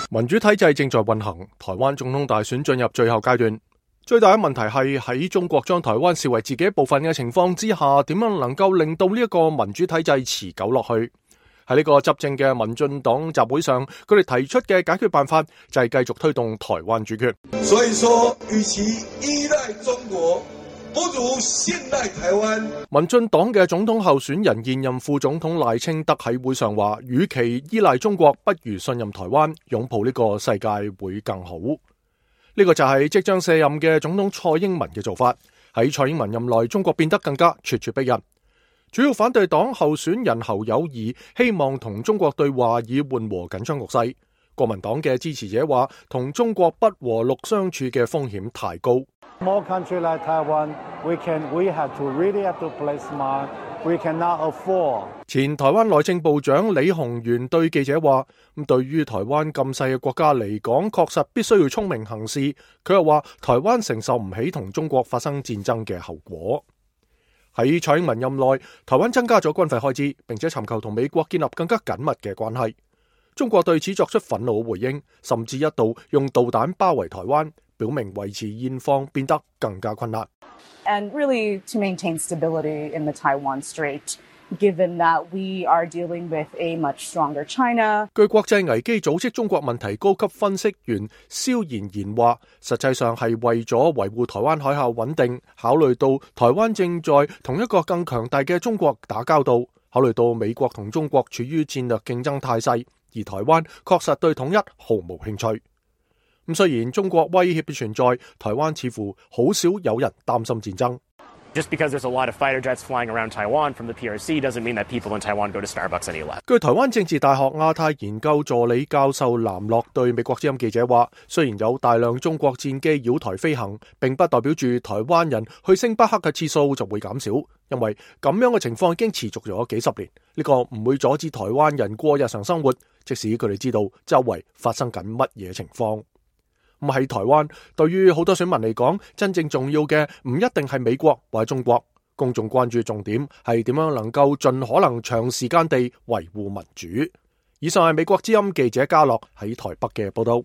民主體制正在運行，台灣總統大選進入最後階段。最大嘅問題係喺中國將台灣視為自己一部分嘅情況之下，點樣能夠令到呢一個民主體制持久落去？喺呢個執政嘅民進黨集會上，佢哋提出嘅解決辦法就係繼續推動台灣主權。所以說，與其依賴中國，不如信賴台灣。民進黨嘅總統候選人現任副總統賴清德喺會上話，與其依賴中國，不如信任台灣，擁抱呢個世界會更好。呢個就係即將卸任嘅總統蔡英文嘅做法。喺蔡英文任內，中國變得更加咄咄逼人。主要反對黨候選人侯友宜希望同中國對話以緩和緊張局勢。國民黨嘅支持者話，同中國不和睦相處嘅風險太高。Small country like Taiwan, we have to really have to play smart. We cannot afford. 前台灣內政部長李鴻源對記者話：咁對於台灣咁細嘅國家嚟講，確實必須要聰明行事。佢又話：台灣承受唔起同中國發生戰爭嘅後果。喺蔡英文任內，台灣增加咗軍費開支，並且尋求同美國建立更加緊密嘅關係。中國對此作出憤怒嘅回應，甚至一度用導彈包圍台灣，表明維持現況變得更加困難。And really to maintain stability in the Taiwan Strait, given that we are dealing with a much stronger China. 據國際危機組織中國問題高級分析員蕭妍妍話，實際上係為咗維護台灣海峽穩定，考慮到台灣正在同一個更強大嘅中國打交道，考慮到美國同中國處於戰略競爭態勢，而台灣確實對統一毫無興趣。咁雖然中國威脅嘅存在，台灣似乎好少有人擔心戰爭。Just because there's a lot of fighter jets flying around Taiwan from the PRC doesn't mean that people in Taiwan go to Starbucks any less. 據台灣政治大學亞太研究助理教授藍樂對美國之音記者話，雖然有大量中國戰機繞台飛行，並不代表住台灣人去星巴克嘅次數就會減少，因為咁樣嘅情況已經持續咗幾十年。呢個唔會阻止台灣人過日常生活，即使佢哋知道周圍發生緊乜嘢情況。咁喺台灣，對於好多選民嚟講，真正重要嘅唔一定係美國或者中國，公眾關注重點係點樣能夠盡可能長時間地維護民主。以上係美國之音記者嘉樂喺台北嘅報道。